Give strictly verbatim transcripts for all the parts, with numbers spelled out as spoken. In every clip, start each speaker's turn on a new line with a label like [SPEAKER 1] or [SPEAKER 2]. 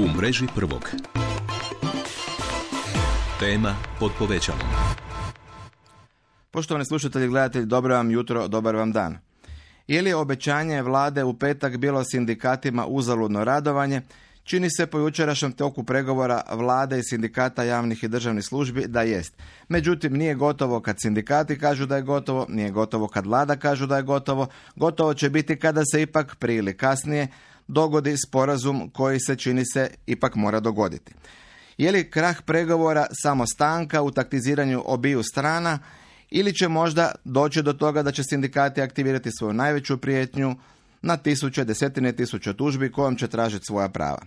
[SPEAKER 1] U mreži prvog. Tema pod povećalom.
[SPEAKER 2] Poštovani slušatelji i gledatelji, dobro vam jutro, dobar vam dan. Je li obećanje vlade u petak bilo sindikatima uzaludno radovanje? Čini se po jučerašnjem toku pregovora vlade i sindikata javnih i državnih službi da jest. Međutim, nije gotovo kad sindikati kažu da je gotovo, nije gotovo kad vlada kažu da je gotovo, gotovo će biti kada se ipak prije ili kasnije dogodi sporazum koji se, čini se, ipak mora dogoditi. Je li krah pregovora samo stanka u taktiziranju obiju strana ili će možda doći do toga da će sindikati aktivirati svoju najveću prijetnju na tisuće, desetine tisuća tužbi kojom će tražiti svoja prava?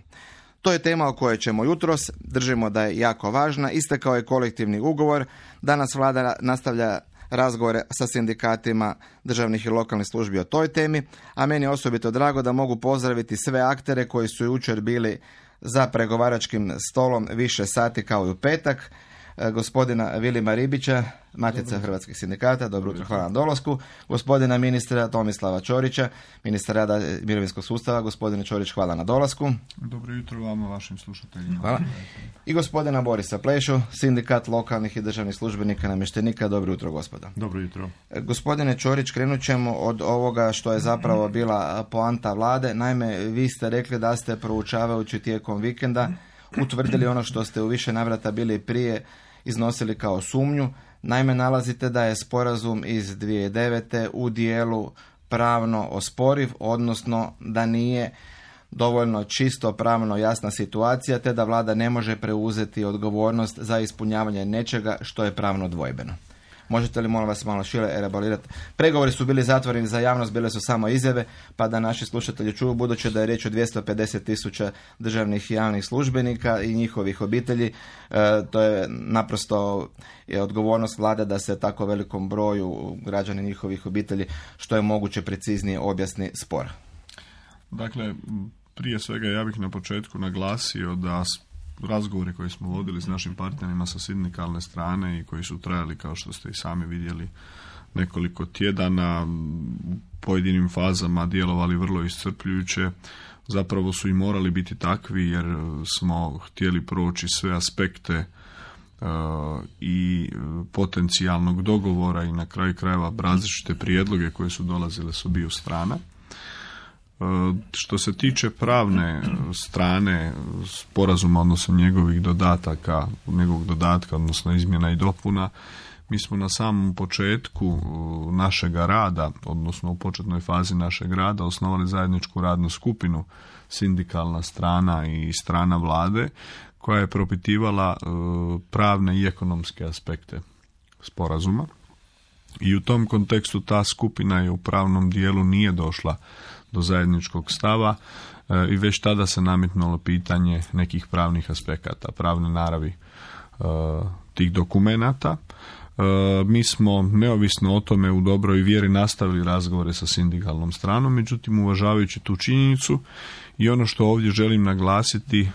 [SPEAKER 2] To je tema o kojoj ćemo jutros, držimo da je jako važna, istekao je kolektivni ugovor, danas vlada nastavlja razgovore sa sindikatima državnih i lokalnih službi o toj temi, a meni je osobito drago da mogu pozdraviti sve aktere koji su jučer bili za pregovaračkim stolom više sati kao i u petak. Gospodina Vilima Ribića, Matica Dobro. Hrvatskih sindikata, dobro jutro, hvala na dolasku. Gospodina ministra Tomislava Ćorića, ministra rada i mirovinskog sustava. Gospodine Ćorić, hvala na dolasku.
[SPEAKER 3] Dobro jutro vama, vašim slušateljima.
[SPEAKER 2] Hvala. I gospodina Borisa Plešu, sindikat lokalnih i državnih službenika, namještenika. Dobro jutro, gospodo.
[SPEAKER 3] Dobro jutro.
[SPEAKER 2] Gospodine Ćorić, krenut ćemo od ovoga što je zapravo bila poanta vlade. Naime, vi ste rekli da ste proučavajući tijekom vikenda utvrdili ono što ste u više navrata bili prije iznosili kao sumnju. Naime, nalazite da je sporazum iz dvije tisuće devete u dijelu pravno osporiv, odnosno da nije dovoljno čisto pravno jasna situacija, te da vlada ne može preuzeti odgovornost za ispunjavanje nečega što je pravno dvojbeno. Možete li, molim vas, malo šire elaborirati? Pregovori su bili zatvoreni za javnost, bile su samo izjave, pa da naši slušatelji čuju, budući da je riječ o dvjesto pedeset tisuća državnih i javnih službenika i njihovih obitelji. E, to je naprosto je odgovornost vlade da se tako velikom broju građana i njihovih obitelji što je moguće preciznije objasni spor.
[SPEAKER 3] Dakle, prije svega ja bih na početku naglasio da razgovori koje smo vodili s našim partnerima sa sindikalne strane i koji su trajali, kao što ste i sami vidjeli, nekoliko tjedana, u pojedinim fazama djelovali vrlo iscrpljujuće, zapravo su i morali biti takvi jer smo htjeli proći sve aspekte uh, i potencijalnog dogovora i na kraju krajeva različite prijedloge koje su dolazile s obiju strana. Što se tiče pravne strane sporazuma, odnosno njegovih dodataka, njegovog dodatka, odnosno izmjena i dopuna, mi smo na samom početku našega rada, odnosno u početnoj fazi našeg rada, osnovali zajedničku radnu skupinu, sindikalna strana i strana vlade, koja je propitivala pravne i ekonomske aspekte sporazuma. I u tom kontekstu ta skupina je u pravnom dijelu nije došla do zajedničkog stava e, i već tada se nametnulo pitanje nekih pravnih aspekata, pravne naravi e, tih dokumenata. E, mi smo neovisno o tome u dobroj vjeri nastavili razgovore sa sindikalnom stranom, međutim uvažavajući tu činjenicu i ono što ovdje želim naglasiti e,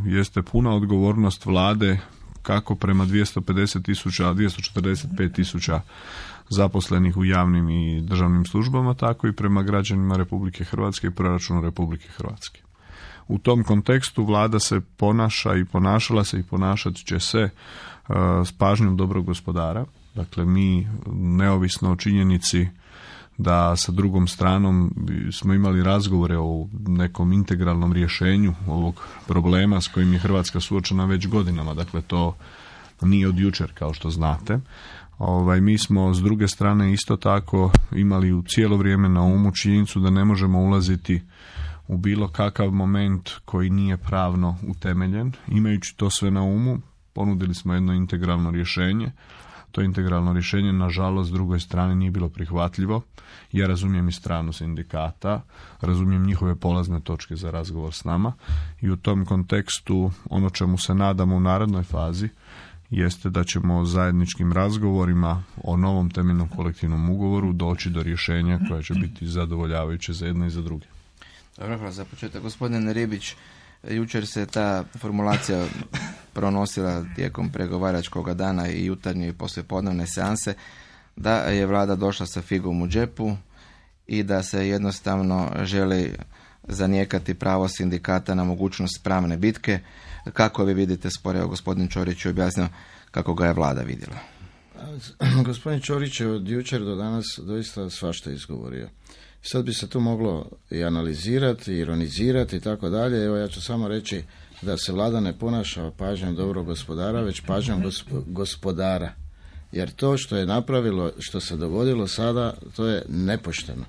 [SPEAKER 3] jeste puna odgovornost vlade kako prema dvjesto pedeset tisuća, dvjesto četrdeset pet tisuća zaposlenih u javnim i državnim službama, tako i prema građanima Republike Hrvatske i proračunu Republike Hrvatske. U tom kontekstu vlada se ponaša i ponašala se i ponašat će se uh, s pažnjom dobrog gospodara. Dakle, mi neovisno o činjenici da sa drugom stranom smo imali razgovore o nekom integralnom rješenju ovog problema s kojim je Hrvatska suočena već godinama. Dakle, to nije od jučer, kao što znate. Ovaj, mi smo s druge strane isto tako imali u cijelo vrijeme na umu činjenicu da ne možemo ulaziti u bilo kakav moment koji nije pravno utemeljen. Imajući to sve na umu, ponudili smo jedno integralno rješenje. To integralno rješenje, nažalost, s drugoj strane nije bilo prihvatljivo. Ja razumijem i stranu sindikata, razumijem njihove polazne točke za razgovor s nama i u tom kontekstu ono čemu se nadamo u narednoj fazi jeste da ćemo zajedničkim razgovorima o novom temeljnom kolektivnom ugovoru doći do rješenja koja će biti zadovoljavajuće za jedne i za druge.
[SPEAKER 2] Dobro, hvala za početak. Gospodin Ribić, jučer se ta formulacija pronosila tijekom pregovaračkog dana i jutarnje i poslijepodnevne seanse da je vlada došla sa figom u džepu i da se jednostavno želi zanijekati pravo sindikata na mogućnost pravne bitke. Kako vi vidite spor? Evo, gospodin Ćorić je objasnio kako ga je vlada vidjela.
[SPEAKER 4] Gospodin Ćorić je od jučer do danas doista svašta izgovorio. Sad bi se tu moglo i analizirati, ironizirati i tako dalje. Evo, ja ću samo reći da se vlada ne ponaša pažnjom dobrog gospodara, već pažnjom gosp- gospodara. Jer to što je napravilo, što se dogodilo sada, to je nepošteno.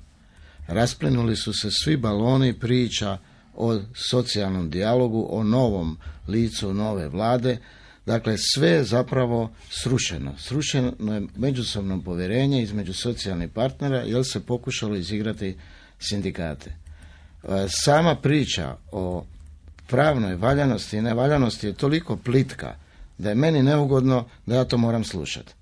[SPEAKER 4] Rasplinuli su se svi baloni priča o socijalnom dijalogu, o novom licu nove vlade. Dakle, sve je zapravo srušeno. Srušeno je međusobno povjerenje između socijalnih partnera, jer se pokušalo izigrati sindikate. Sama priča o pravnoj valjanosti i nevaljanosti je toliko plitka da je meni neugodno da ja to moram slušati.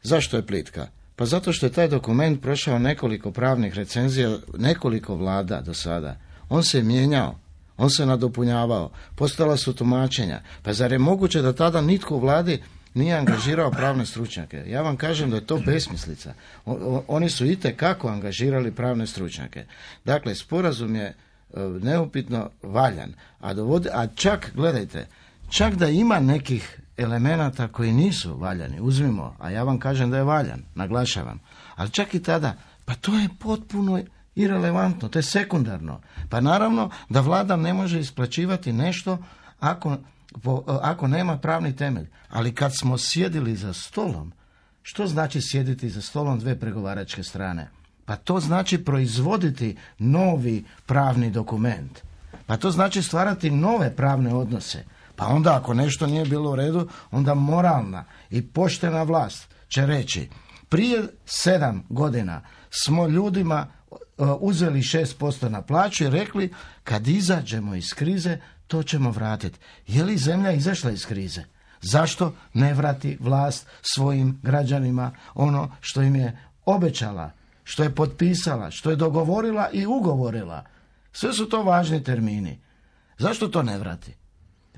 [SPEAKER 4] Zašto je plitka? Pa zato što je taj dokument prošao nekoliko pravnih recenzija, nekoliko vlada do sada. On se je mijenjao, on se nadopunjavao, postala su tumačenja. Pa zar je moguće da tada nitko u vladi nije angažirao pravne stručnjake? Ja vam kažem da je to besmislica. O, oni su itekako angažirali pravne stručnjake. Dakle, sporazum je neupitno valjan. A, dovodi, a čak, gledajte, čak da ima nekih elemenata koji nisu valjani, uzmimo, a ja vam kažem da je valjan, naglašavam. Ali čak i tada, pa to je potpuno irelevantno, to je sekundarno. Pa naravno da vlada ne može isplaćivati nešto ako, po, ako nema pravni temelj. Ali kad smo sjedili za stolom, što znači sjediti za stolom dve pregovaračke strane? Pa to znači proizvoditi novi pravni dokument. Pa to znači stvarati nove pravne odnose. Pa onda ako nešto nije bilo u redu, onda moralna i poštena vlast će reći: prije sedam godina smo ljudima uzeli šest posto na plaću i rekli kad izađemo iz krize to ćemo vratiti. Je li zemlja izašla iz krize? Zašto ne vrati vlast svojim građanima ono što im je obećala, što je potpisala, što je dogovorila i ugovorila? Sve su to važni termini. Zašto to ne vrati?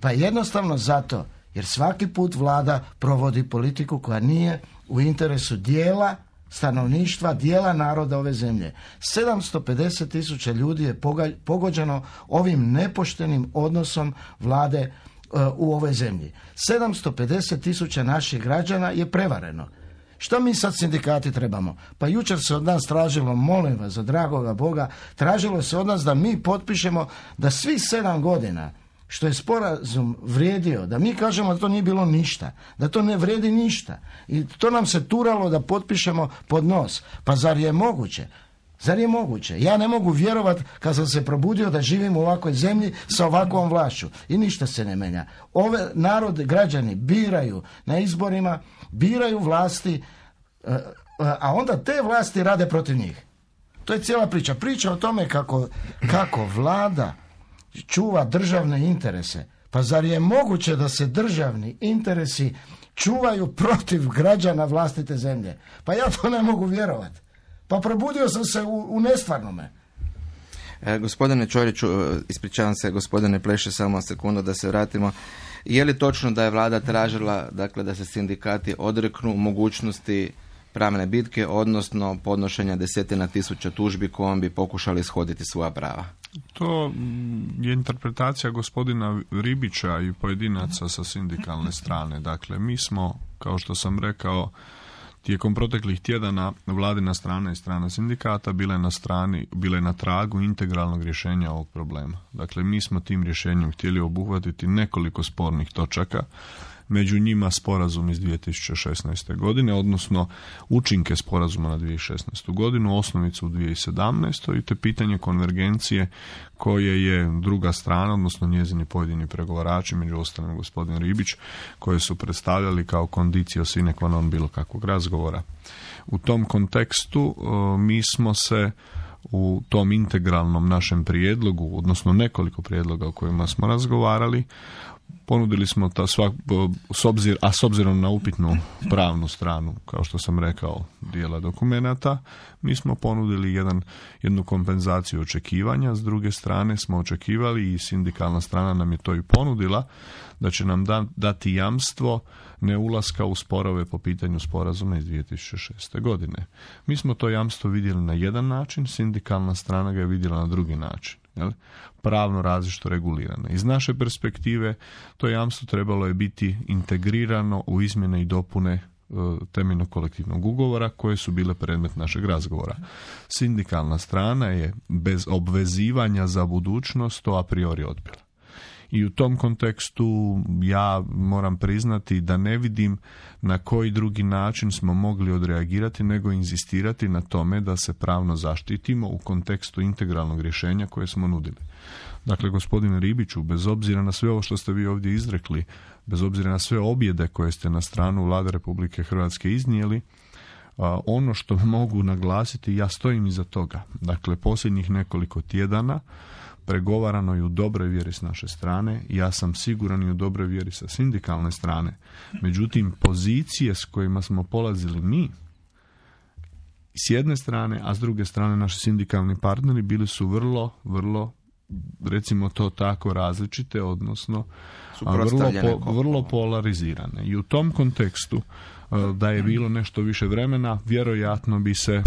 [SPEAKER 4] Pa jednostavno zato jer svaki put vlada provodi politiku koja nije u interesu dijela stanovništva, dijela naroda ove zemlje. sedamsto pedeset tisuća ljudi je pogođeno ovim nepoštenim odnosom vlade uh, u ovoj zemlji. sedamsto pedeset tisuća naših građana je prevareno. Što mi sad sindikati trebamo? Pa jučer se od nas tražilo, molim vas, za dragoga Boga, tražilo se od nas da mi potpišemo da svi sedam godina što je sporazum vrijedio, da mi kažemo da to nije bilo ništa, da to ne vrijedi ništa. I to nam se turalo da potpišemo pod nos. Pa zar je moguće? Zar je moguće? Ja ne mogu vjerovati kad sam se probudio da živim u ovakvoj zemlji sa ovakvom vlašću. I ništa se ne menja. Ove narod, građani biraju na izborima, biraju vlasti, a onda te vlasti rade protiv njih. To je cijela priča. Priča o tome kako, kako vlada čuva državne interese. Pa zar je moguće da se državni interesi čuvaju protiv građana vlastite zemlje? Pa ja to ne mogu vjerovati. Pa probudio sam se u, u nestvarnome.
[SPEAKER 2] E, gospodine Ćoriću, ispričavam se, gospodine Pleše, samo sekundu da se vratimo. Je li točno da je vlada tražila, dakle, da se sindikati odreknu mogućnosti pravne bitke, odnosno podnošenja desetina tisuća tužbi kojom bi pokušali ishoditi svoja prava?
[SPEAKER 3] To je interpretacija gospodina Ribića i pojedinaca sa sindikalne strane. Dakle, mi smo, kao što sam rekao, tijekom proteklih tjedana vladina strana i strana sindikata bile na strani, bile na tragu integralnog rješenja ovog problema. Dakle, mi smo tim rješenjem htjeli obuhvatiti nekoliko spornih točaka, među njima sporazum iz dvije tisuće šesnaeste. godine, odnosno učinke sporazuma na dvije tisuće šesnaestu. godinu, osnovicu u dvije tisuće sedamnaestoj. i te pitanje konvergencije koje je druga strana, odnosno njezini pojedini pregovarači, među ostalim gospodin Ribić, koje su predstavljali kao condicio sine qua non bilo kakvog razgovora. U tom kontekstu mi smo se u tom integralnom našem prijedlogu, odnosno nekoliko prijedloga o kojima smo razgovarali, ponudili smo ta svak, s obzir, a s obzirom na upitnu pravnu stranu, kao što sam rekao, dijela dokumenata, mi smo ponudili jedan, jednu kompenzaciju očekivanja. S druge strane smo očekivali, i sindikalna strana nam je to i ponudila, da će nam da, dati jamstvo neulaska u sporove po pitanju sporazuma iz dvije tisuće šeste. godine. Mi smo to jamstvo vidjeli na jedan način, sindikalna strana ga je vidjela na drugi način. jel, pravno različito regulirane. Iz naše perspektive to jamstvo trebalo je biti integrirano u izmjene i dopune temeljnog kolektivnog ugovora koje su bile predmet našeg razgovora. Sindikalna strana je bez obvezivanja za budućnost to a priori odbila. I u tom kontekstu ja moram priznati da ne vidim na koji drugi način smo mogli odreagirati nego inzistirati na tome da se pravno zaštitimo u kontekstu integralnog rješenja koje smo nudili. Dakle, gospodine Ribiću, bez obzira na sve ovo što ste vi ovdje izrekli, bez obzira na sve objede koje ste na stranu Vlade Republike Hrvatske iznijeli, ono što mogu naglasiti, ja stojim iza toga. Dakle, posljednjih nekoliko tjedana pregovarano je u dobroj vjeri s naše strane, ja sam siguran i u dobroj vjeri sa sindikalne strane. Međutim, pozicije s kojima smo polazili mi, s jedne strane, a s druge strane naši sindikalni partneri bili su vrlo, vrlo, recimo to tako, različite, odnosno vrlo, po, vrlo polarizirane. I u tom kontekstu da je bilo nešto više vremena, vjerojatno bi se uh,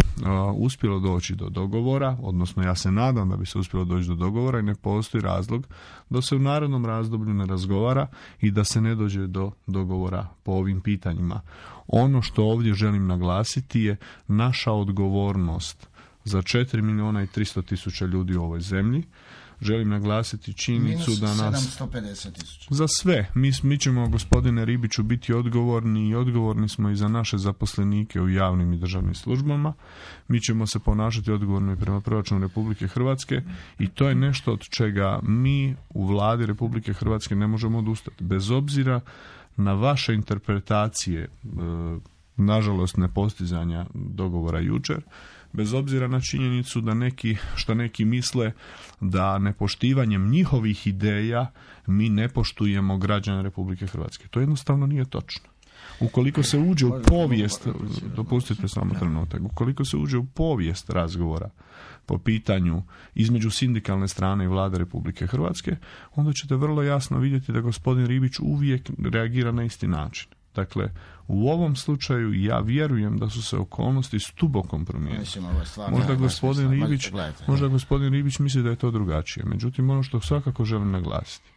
[SPEAKER 3] uspjelo doći do dogovora, odnosno ja se nadam da bi se uspjelo doći do dogovora i ne postoji razlog da se u narednom razdoblju ne razgovara i da se ne dođe do dogovora po ovim pitanjima. Ono što ovdje želim naglasiti je naša odgovornost za četiri milijuna i tristo tisuća ljudi u ovoj zemlji. Želim naglasiti činjenicu da nas...
[SPEAKER 4] sedamsto pedeset tisuća.
[SPEAKER 3] Za sve. Mi, mi ćemo, gospodine Ribiću, biti odgovorni i odgovorni smo i za naše zaposlenike u javnim i državnim službama. Mi ćemo se ponašati odgovorno i prema proračunu Republike Hrvatske i to je nešto od čega mi u Vladi Republike Hrvatske ne možemo odustati. Bez obzira na vaše interpretacije, e, nažalost nepostizanja dogovora jučer, bez obzira na činjenicu da neki, što neki misle da nepoštivanjem njihovih ideja mi ne poštujemo građane Republike Hrvatske. To jednostavno nije točno. Ukoliko se uđe u povijest, dopustite samo trenutak, ukoliko se uđe u povijest razgovora po pitanju između sindikalne strane i Vlade Republike Hrvatske, onda ćete vrlo jasno vidjeti da gospodin Ribić uvijek reagira na isti način. Dakle, u ovom slučaju ja vjerujem da su se okolnosti stubokom promijenile. Možda gospodin Ribić, možda gospodin Ribić misli da je to drugačije. Međutim, ono što svakako želim naglasiti.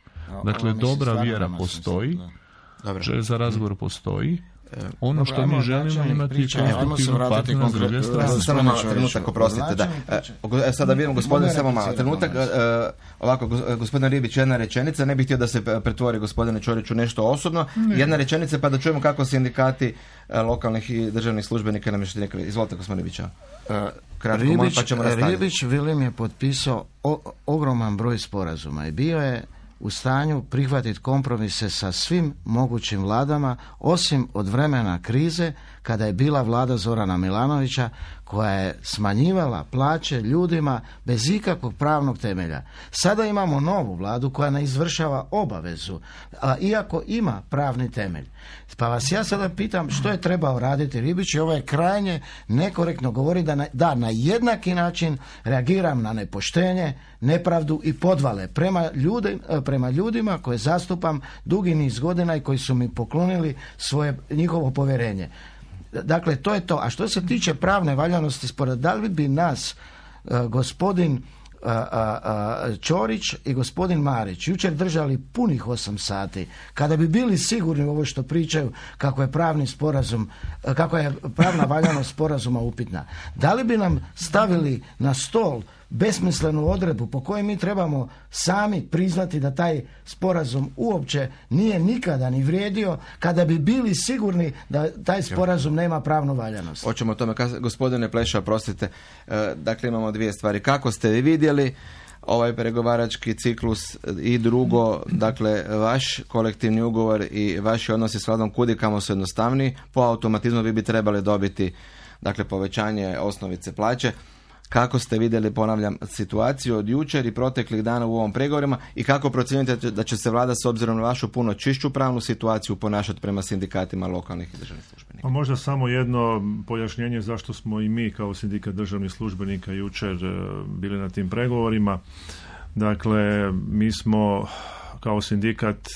[SPEAKER 3] Dakle, dobra vjera postoji, želja za razgovor postoji. Ono što mi želimo imati konstruktivnu partnera s druge strane.
[SPEAKER 2] Samo malo trenutak, oprostite. Da. E, sada vidim, gospodin, samo malo trenutak. Ovako, gospodin Ribić, jedna rečenica. Ne bih htio da se pretvori gospodine Ćoriću nešto osobno. Jedna rečenica pa da čujemo kako sindikati lokalnih i državnih službenika namještenika. Izvolite, gospodine Ribića. Kratko,
[SPEAKER 4] Ribić,
[SPEAKER 2] pa ćemo nastaviti.
[SPEAKER 4] Ribić Vilim je potpisao o, ogroman broj sporazuma i bio je u stanju prihvatiti kompromise sa svim mogućim vladama, osim od vremena krize, kada je bila vlada Zorana Milanovića, koja je smanjivala plaće ljudima bez ikakvog pravnog temelja. Sada imamo novu vladu koja ne izvršava obavezu, a iako ima pravni temelj. Pa vas ja sada pitam što je trebao raditi Ribić, i ovo je krajnje nekorektno govori da na, da na jednaki način reagiram na nepoštenje, nepravdu i podvale prema, ljudi, prema ljudima koje zastupam dugi niz godina i koji su mi poklonili svoje, njihovo povjerenje. Dakle, to je to. A što se tiče pravne valjanosti spora, da li bi nas uh, gospodin uh, uh, Ćorić i gospodin Marić jučer držali punih osam sati, kada bi bili sigurni u ovo što pričaju kako je pravni sporazum, uh, kako je pravna valjanost sporazuma upitna, da li bi nam stavili na stol besmislenu odredbu po kojoj mi trebamo sami priznati da taj sporazum uopće nije nikada ni vrijedio, kada bi bili sigurni da taj sporazum nema pravnu valjanost.
[SPEAKER 2] Hoćemo o tome, gospodine Pleša, prostite. Dakle, imamo dvije stvari. Kako ste vi vidjeli ovaj pregovarački ciklus i drugo, dakle, vaš kolektivni ugovor i vaši odnosi s vladom kudikamo su jednostavniji, po automatizmu vi bi trebali dobiti, dakle, povećanje osnovice plaće. Kako ste vidjeli, ponavljam, situaciju od jučer i proteklih dana u ovom pregovorima i kako procjenjujete da će se vlada s obzirom na vašu puno čišću pravnu situaciju ponašati prema sindikatima lokalnih i državnih službenika?
[SPEAKER 5] A možda samo jedno pojašnjenje zašto smo i mi kao sindikat državnih službenika jučer bili na tim pregovorima. Dakle, mi smo kao sindikat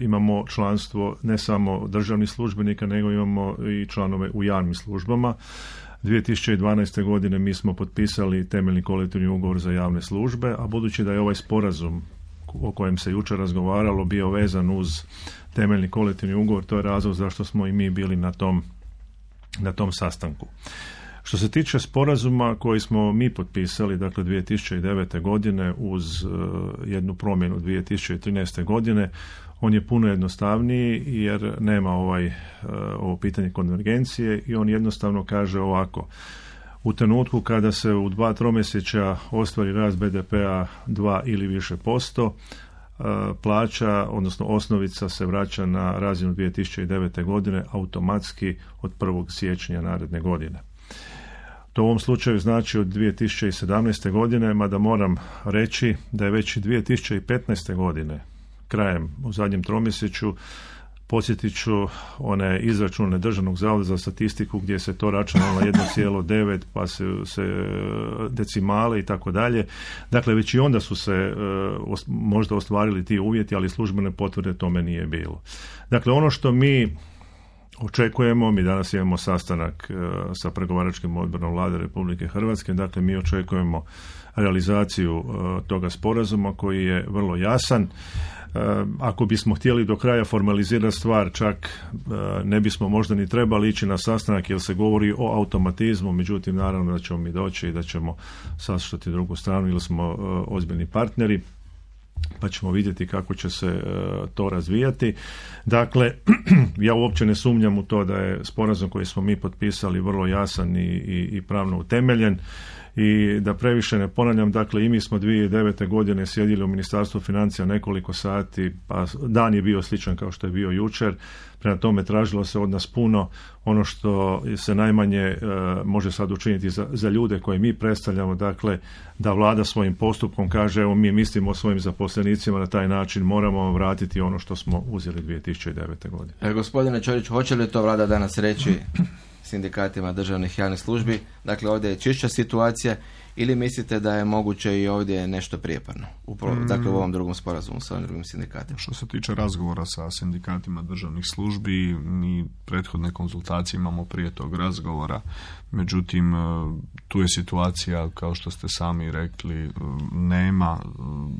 [SPEAKER 5] imamo članstvo ne samo državnih službenika, nego imamo i članove u javnim službama. dvije tisuće dvanaeste. godine mi smo potpisali temeljni kolektivni ugovor za javne službe, a budući da je ovaj sporazum o kojem se jučer razgovaralo bio vezan uz temeljni kolektivni ugovor, to je razlog zašto smo i mi bili na tom, na tom sastanku. Što se tiče sporazuma koji smo mi potpisali, dakle dvije tisuće devete. godine uz uh, jednu promjenu dvije tisuće trinaeste. godine, on je puno jednostavniji jer nema ovaj, uh, ovo pitanje konvergencije i on jednostavno kaže ovako: u trenutku kada se u dva tromjesečja ostvari rast be de pea dva ili više posto, plaća, odnosno osnovica se vraća na razinu dvije tisuće devete. godine automatski od prvog siječnja naredne godine. To u ovom slučaju znači od dvije tisuće sedamnaeste. godine, mada moram reći da je već dvije tisuće petnaeste. godine, krajem u zadnjem tromjesečju, podsjetit ću one izračune Državnog zavoda za statistiku gdje se to računalo na jedno zarez devet pa se, se decimale i tako dalje. Dakle, već i onda su se uh, možda ostvarili ti uvjeti, ali službene potvrde tome nije bilo. Dakle, ono što mi očekujemo, mi danas imamo sastanak uh, sa pregovaračkim odborom Vlade Republike Hrvatske, dakle mi očekujemo realizaciju uh, toga sporazuma koji je vrlo jasan. Ako bismo htjeli do kraja formalizirati stvar, čak ne bismo možda ni trebali ići na sastanak jer se govori o automatizmu, međutim naravno da ćemo mi doći i da ćemo saslušati drugu stranu ili smo ozbiljni partneri, pa ćemo vidjeti kako će se to razvijati. Dakle, ja uopće ne sumnjam u to da je sporazum koji smo mi potpisali vrlo jasan i, i, i pravno utemeljen. I da previše ne ponavljam, dakle i mi smo dvije tisuće devete. godine sjedili u Ministarstvu financija nekoliko sati, pa dan je bio sličan kao što je bio jučer, prema tome tražilo se od nas puno. Ono što se najmanje e, može sad učiniti za, za ljude koje mi predstavljamo, dakle da vlada svojim postupkom kaže evo mi mislimo o svojim zaposlenicima na taj način, moramo vratiti ono što smo uzeli dvije tisuće devete. godine.
[SPEAKER 2] E, gospodine Ćorić, hoće li to vlada danas reći sindikatima državnih javnih službi? Dakle, ovdje je čišća situacija ili mislite da je moguće i ovdje nešto prijeparno? Upravo, mm. Dakle, u ovom drugom sporazumu sa ovim drugim sindikatima.
[SPEAKER 3] Što se tiče razgovora sa sindikatima državnih službi, mi prethodne konzultacije imamo prije tog razgovora. Međutim, tu je situacija, kao što ste sami rekli, nema,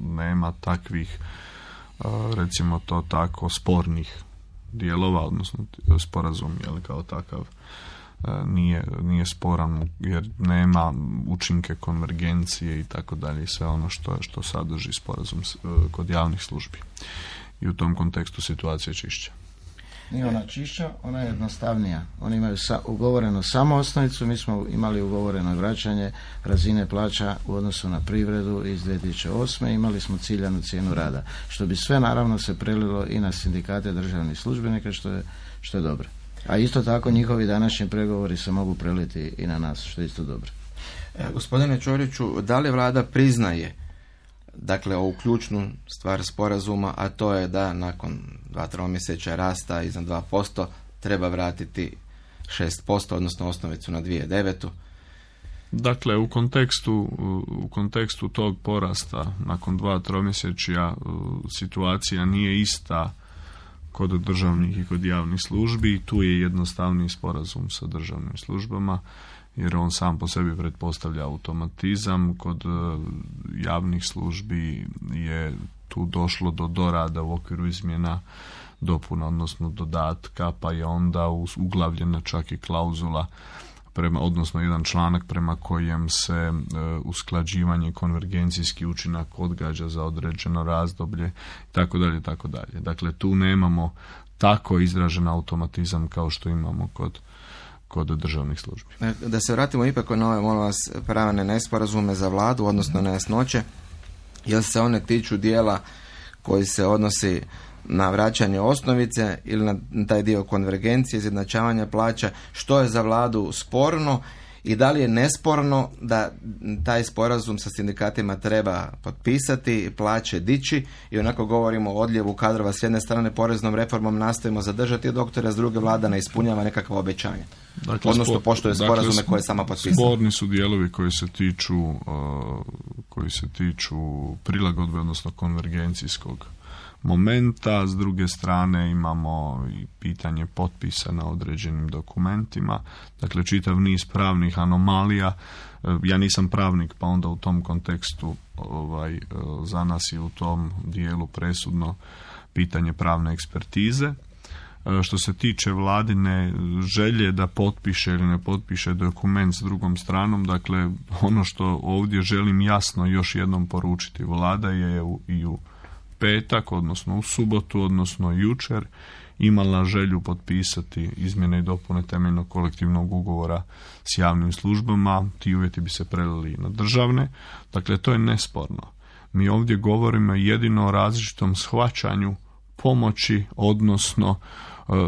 [SPEAKER 3] nema takvih, recimo to tako, spornih dijelova, odnosno sporazum je li kao takav nije, nije sporan jer nema učinke konvergencije i tako dalje, sve ono što, što sadrži sporazum kod javnih službi. I u tom kontekstu situacija je čišća.
[SPEAKER 4] Nije ona čišća, ona je jednostavnija. Oni imaju sa, ugovoreno samo osnovicu, mi smo imali ugovoreno vraćanje razine plaća u odnosu na privredu iz dvije tisuće osme. Imali smo ciljanu cijenu rada, što bi sve naravno se prelilo i na sindikate državnih službenika, što je, što je dobro. A isto tako njihovi današnji pregovori se mogu preliti i na nas, što je isto dobro.
[SPEAKER 2] E, gospodine Ćoriću, da li vlada priznaje dakle ovu ključnu stvar sporazuma, a to je da nakon dva tromjesečja rasta iznad dva posto treba vratiti šest posto, odnosno osnovicu na dvije tisuće devetu.
[SPEAKER 3] Dakle, u kontekstu, u kontekstu tog porasta nakon dva tromjesečja situacija nije ista kod državnih i kod javnih službi. Tu je jednostavniji sporazum sa državnim službama jer on sam po sebi pretpostavlja automatizam. Kod javnih službi je tu došlo do dorada u okviru izmjena dopuna, odnosno dodatka, pa je onda uglavljena čak i klauzula, prema, odnosno jedan članak prema kojem se e, usklađivanje i konvergencijski učinak odgađa za određeno razdoblje, tako dalje, tako dalje. Dakle, tu nemamo tako izražen automatizam kao što imamo kod kod državnih službi.
[SPEAKER 2] Da se vratimo ipak na ove, molim vas, pravne nesporazume za vladu, odnosno nejasnoće, jer se one tiču dijela koji se odnosi na vraćanje osnovice ili na taj dio konvergencije, izjednačavanja plaća, što je za vladu sporno i da li je nesporno da taj sporazum sa sindikatima treba potpisati, plaće dići i onako govorimo o odljevu kadrova s jedne strane, poreznom reformom nastojimo zadržati doktore, s druge vlada ne ispunjava nekakva obećanja. Dakle, odnosno poštuje sporazume dakle, koje sama potpisala.
[SPEAKER 3] Sporni su dijelovi koji se tiču uh, koji se tiču prilagodbe, odnosno konvergencijskog momenta, s druge strane imamo i pitanje potpisa na određenim dokumentima, dakle čitav niz pravnih anomalija. Ja nisam pravnik, pa onda u tom kontekstu ovaj, za nas je u tom dijelu presudno pitanje pravne ekspertize. Što se tiče vladine želje da potpiše ili ne potpiše dokument s drugom stranom, dakle ono što ovdje želim jasno još jednom poručiti, vlada je i u petak, odnosno u subotu, odnosno jučer imala želju potpisati izmjene i dopune temeljnog kolektivnog ugovora s javnim službama, ti uvjeti bi se prelili na državne, dakle to je nesporno. Mi ovdje govorimo jedino o različitom shvaćanju pomoći, odnosno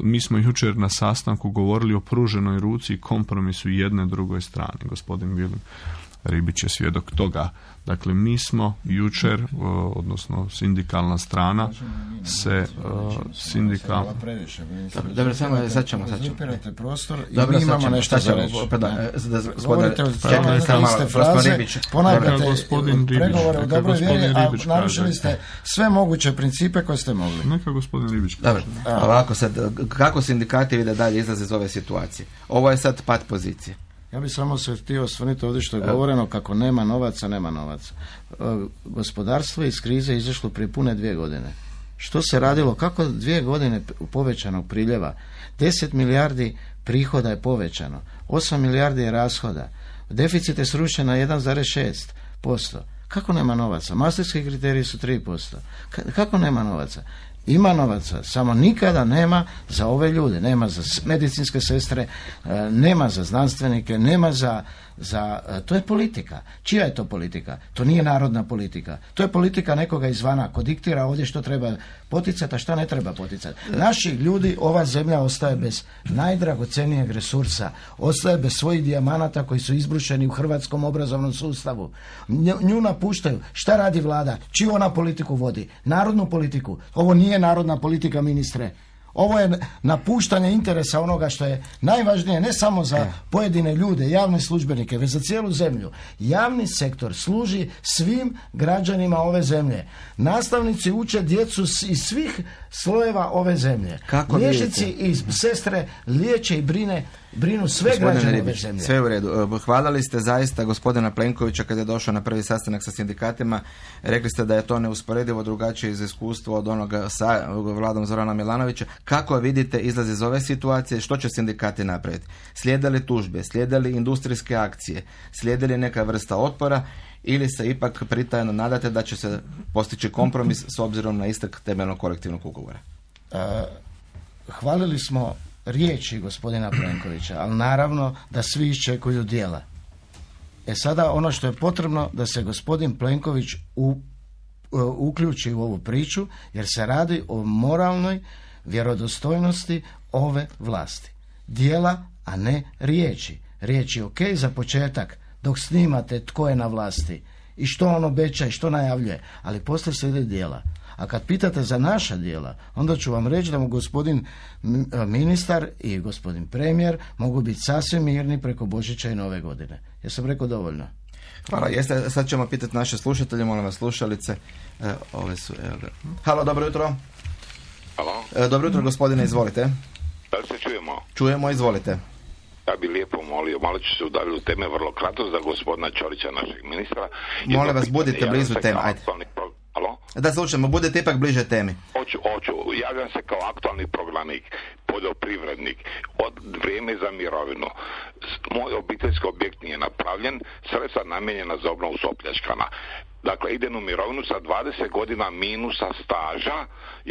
[SPEAKER 3] mi smo jučer na sastanku govorili o pruženoj ruci i kompromisu jedne drugoj strani. Gospodin Vilim Ribić je svjedok toga. Dakle, mi smo jučer, odnosno sindikalna strana, se sindikal...
[SPEAKER 2] Dobro, samo sad ćemo, sad ćemo.
[SPEAKER 4] prostor i
[SPEAKER 2] Dobro,
[SPEAKER 4] mi imamo nešto za reći. Govorite o iste fraze, ponavljate pregovore u dobroj vjeri, a narušili ste sve moguće principe koje ste mogli.
[SPEAKER 3] Neka gospodin Ribić.
[SPEAKER 2] Dobro, ovako sad, kako sindikati vide dalje izlaze iz ove situacije? Ovo je sad pad pozicije.
[SPEAKER 4] Ja bih samo se htio osvrnuti ovdje što je govoreno kako nema novaca, nema novaca. Gospodarstvo je iz krize izašlo prije pune dvije godine. Što se radilo? Kako dvije godine povećanog priljeva? deset milijardi prihoda je povećano, osam milijardi je rashoda. Deficit je srušen na jedan zarez šest posto. Kako nema novaca? Maastrichtski kriteriji su tri posto. Kako nema novaca? Ima novaca, samo nikada nema za ove ljude, nema za medicinske sestre, nema za znanstvenike, nema za, za... To je politika. Čija je to politika? To nije narodna politika. To je politika nekoga izvana ko diktira ovdje što treba poticati, a šta ne treba poticati. Naši ljudi, ova zemlja ostaje bez najdragocenijeg resursa, ostaje bez svojih dijamanata koji su izbrušeni u hrvatskom obrazovnom sustavu. Nju napuštaju. Šta radi vlada? Čiju ona politiku vodi? Narodnu politiku. Ovo nije narodna politika, ministre. Ovo je napuštanje interesa onoga što je najvažnije ne samo za pojedine ljude, javne službenike, već za cijelu zemlju. Javni sektor služi svim građanima ove zemlje. Nastavnici uče djecu iz svih slojeva ove zemlje.
[SPEAKER 2] Kako
[SPEAKER 4] liječnici i sestre liječe i brine brinu sve građane ove zemlje.
[SPEAKER 2] Sve u redu. Hvalili ste zaista gospodina Plenkovića kad je došao na prvi sastanak sa sindikatima. Rekli ste da je to neusporedivo drugačije iz iskustva od onoga sa vladom Zorana Milanovića. Kako vidite izlaz iz ove situacije? Što će sindikati napraviti? Slijede li tužbe? Slijede li industrijske akcije? Slijede li neka vrsta otpora? Ili se ipak pritajno nadate da će se postići kompromis s obzirom na istek temeljnog kolektivnog ugovora?
[SPEAKER 4] Uh, hvalili smo riječi gospodina Plenkovića, ali naravno da svi iščekuju djela. E sada ono što je potrebno da se gospodin Plenković u, uh, uključi u ovu priču, jer se radi o moralnoj vjerodostojnosti ove vlasti. Djela, a ne riječi. Riječi ok za početak, dok snimate tko je na vlasti i što on obeća i što najavljuje, ali poslije slijede djela. A kad pitate za naša djela, onda ću vam reći da mu gospodin ministar i gospodin premijer mogu biti sasvim mirni preko Božića i Nove godine. Ja sam rekao dovoljno.
[SPEAKER 2] Hvala. Jeste, sad ćemo pitati naše slušatelje, molim vas slušalice. E, ove su, evo ga. Halo, dobro jutro.
[SPEAKER 6] Halo.
[SPEAKER 2] E, dobro jutro, gospodine, izvolite.
[SPEAKER 6] Da li se čujemo?
[SPEAKER 2] Čujemo, izvolite.
[SPEAKER 6] Ja bih lijepo molio, malo ću se udaviti u teme vrlo kratko za gospodina Ćorića, našeg ministra.
[SPEAKER 2] Molim vas, budite blizu teme, ajde.
[SPEAKER 6] Halo?
[SPEAKER 2] Da, slušamo, budete ipak bliže temi.
[SPEAKER 6] Hoću, hoću. Javljam se kao aktualni proglanik, poljoprivrednik, od vrijeme za mirovinu. Moj obiteljski objekt nije napravljen, sredstva namijenjena za obnovu su opljačkana. Dakle, idem u mirovinu sa dvadeset godina minusa staža,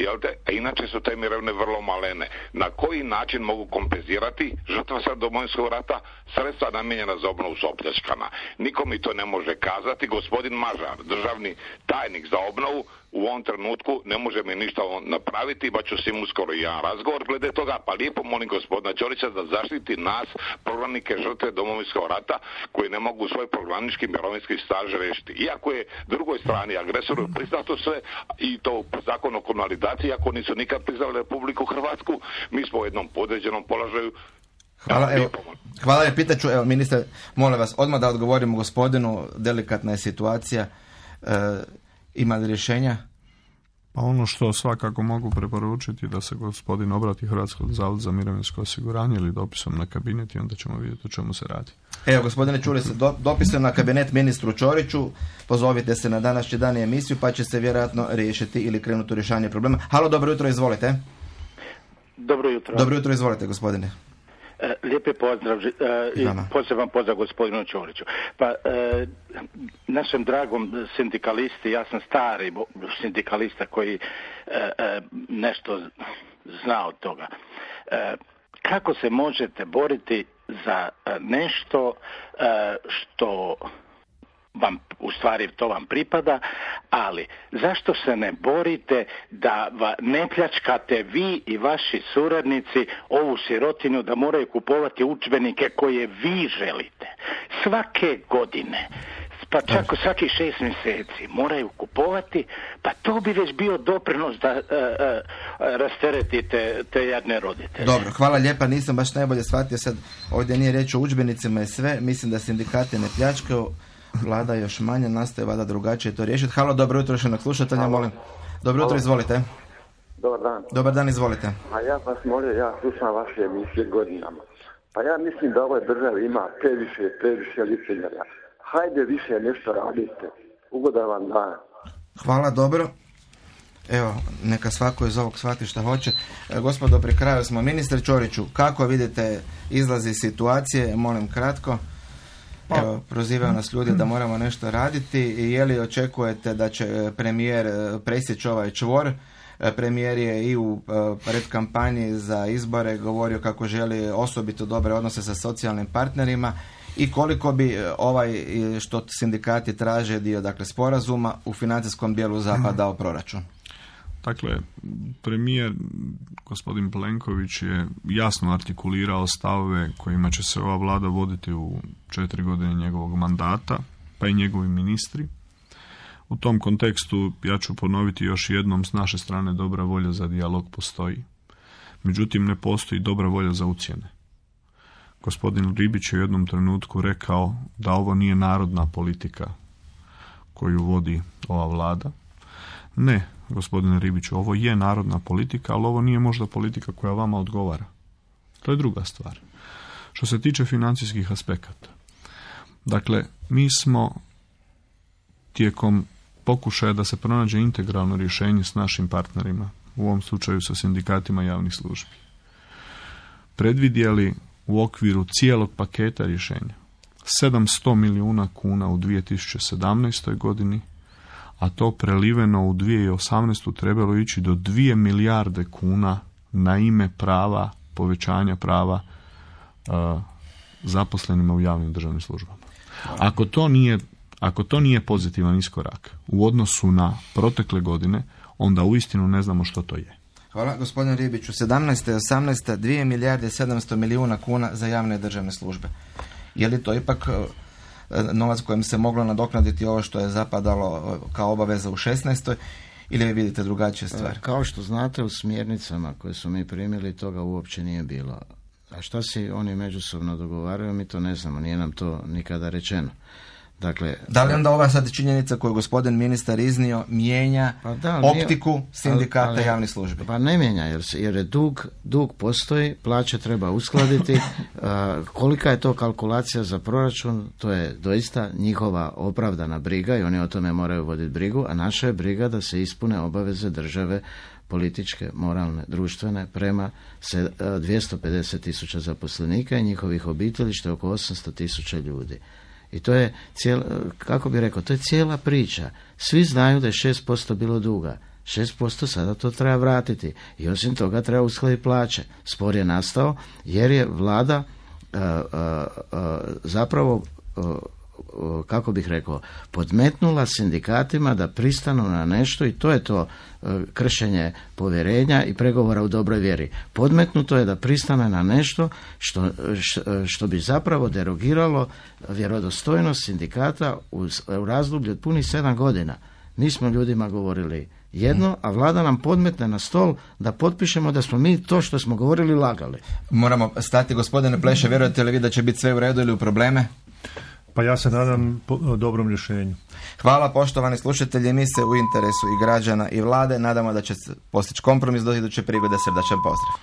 [SPEAKER 6] jel te? A inače su te mirovine vrlo malene. Na koji način mogu kompenzirati žrtva sad Domovinskog rata? Sredstva namijenjena za obnovu su opljačkana. Niko mi to ne može kazati. Gospodin Mažar, državni tajnik za obnovu, u ovom trenutku ne može mi ništa napraviti, pa ću s njim uskoro i jedan razgovor glede toga, pa lijepo molim gospodina Ćorića da zaštiti nas, proglanike žrtve Domovinskog rata, koji ne mogu svoj proglanički mirovinski staž riješiti. Iako je drugoj strani agresoru priznato sve, i to zakon o komunalidaciji, iako nisu nikad priznali Republiku Hrvatsku, mi smo u jednom podređenom položaju.
[SPEAKER 2] Hvala, evo, hvala, je, pitaću, evo, ministre, molim vas, odmah da odgovorimo gospodinu, delikatna je situacija, e, ima li rješenja?
[SPEAKER 3] Pa ono što svakako mogu preporučiti da se gospodin obrati Hrvatskog zavoda za mirovinsko osiguranje ili dopisom na kabinet i onda ćemo vidjeti o čemu se radi.
[SPEAKER 2] Evo, gospodine, čuli se, do, dopisom na kabinet ministru Ćoriću, pozovite se na današnji dan i emisiju pa će se vjerojatno riješiti ili krenuti u rješavanje problema. Halo, dobro jutro, izvolite.
[SPEAKER 7] Dobro jutro.
[SPEAKER 2] Dobro jutro, izvolite, gospodine.
[SPEAKER 7] E, lijepi pozdrav e, i poseban pozdrav gospodinu Ćoriću. Pa e, našem dragom sindikalisti, ja sam stari sindikalista koji e, e, nešto zna od toga. E, kako se možete boriti za nešto e, što vam, u stvari to vam pripada, ali zašto se ne borite da ne pljačkate vi i vaši suradnici ovu sirotinju da moraju kupovati udžbenike koje vi želite svake godine, pa čak svaki šest mjeseci moraju kupovati, pa to bi već bio doprinos da uh, uh, rasteretite te jadne roditelje.
[SPEAKER 2] Dobro, hvala lijepa, nisam baš najbolje shvatio sad, ovdje nije riječ o udžbenicima i sve, mislim da sindikati ne pljačkaju, vlada još manje, nastoje vada drugačije to riješiti. Halo, dobro jutro još jednog slušatelja, molim. Dobro jutro, izvolite.
[SPEAKER 8] Dobar dan.
[SPEAKER 2] Dobar dan, izvolite.
[SPEAKER 8] A ja vas molim, ja slušam vaše emisije godinama. Pa ja mislim da ovoj državi ima previše, previše licemjerja. Hajde više nešto radite. Ugodan vam dan.
[SPEAKER 2] Hvala, dobro. Evo, neka svako iz ovog shvati šta hoće. E, gospodo, pri kraju smo. Ministre Ćoriću, kako vidite izlazi situacije? Molim kratko. Evo, prozivaju nas ljudi da moramo nešto raditi i je li očekujete da će premijer presjeći ovaj čvor? Premijer je i u predkampanji za izbore govorio kako želi osobito dobre odnose sa socijalnim partnerima i koliko bi ovaj što sindikati traže dio, dakle, sporazuma u financijskom dijelu zapadao proračun?
[SPEAKER 3] Dakle, premijer gospodin Plenković je jasno artikulirao stavove kojima će se ova vlada voditi u četiri godine njegovog mandata, pa i njegovi ministri. U tom kontekstu ja ću ponoviti još jednom, s naše strane dobra volja za dijalog postoji. Međutim, ne postoji dobra volja za ucjene. Gospodin Ribić je u jednom trenutku rekao da ovo nije narodna politika koju vodi ova vlada. Ne, gospodine Ribiću, ovo je narodna politika, ali ovo nije možda politika koja vama odgovara. To je druga stvar. Što se tiče financijskih aspekata. Dakle, mi smo tijekom pokušaja da se pronađe integralno rješenje s našim partnerima, u ovom slučaju sa sindikatima javnih službi, predvidjeli u okviru cijelog paketa rješenja sedamsto milijuna kuna u dvije tisuće sedamnaestoj godini, a to preliveno u dvije tisuće osamnaestu trebalo ići do dvije milijarde kuna na ime prava, povećanja prava uh, zaposlenima u javnim državnim službama. Ako to nije, ako to nije pozitivan iskorak u odnosu na protekle godine, onda uistinu ne znamo što to je.
[SPEAKER 2] Hvala, gospodine Ribiću. sedamnaesta i osamnaesta dvije milijarde sedamsto milijuna kuna za javne državne službe. Je li to ipak novac kojim se moglo nadoknaditi ovo što je zapadalo kao obaveza u šesnaestoj ili vi vidite drugačije stvari?
[SPEAKER 4] Kao što znate, u smjernicama koje su mi primili toga uopće nije bilo. A šta si oni međusobno dogovaraju, mi to ne znamo, nije nam to nikada rečeno. Dakle,
[SPEAKER 2] da li onda ova sad činjenica koju gospodin ministar iznio mijenja pa da, optiku nije, sindikata ali, ali, javnih službi?
[SPEAKER 4] Pa ne mijenja, jer, jer je dug, dug postoji, plaće treba uskladiti. a, kolika je to kalkulacija za proračun, to je doista njihova opravdana briga i oni o tome moraju voditi brigu, a naša je briga da se ispune obaveze države političke, moralne, društvene prema dvjesto pedeset tisuća zaposlenika i njihovih obitelji, što je oko osamsto tisuća ljudi. I to je cijela, kako bi rekao, to je cijela priča. Svi znaju da je šest posto bilo duga. šest posto sada to treba vratiti. I osim toga treba uskladiti plaće. Spor je nastao jer je vlada uh, uh, uh, zapravo, uh, uh, kako bih rekao, podmetnula sindikatima da pristanu na nešto i to je to uh, kršenje povjerenja i pregovora u dobroj vjeri. Podmetnuto je da pristane na nešto što, što bi zapravo derogiralo vjerodostojnost sindikata u, u razdoblju od punih sedam godina. Mi smo ljudima govorili jedno, a vlada nam podmetne na stol da potpišemo da smo mi to što smo govorili lagali.
[SPEAKER 2] Moramo stati, gospodine Pleše, vjerujete li vi da će biti sve u redu ili u probleme?
[SPEAKER 5] Pa ja se nadam po, dobrom rješenju.
[SPEAKER 2] Hvala poštovani slušatelji, mi se u interesu i građana i vlade nadamo da će postići kompromis do iduće prigode. Srdačan pozdrav.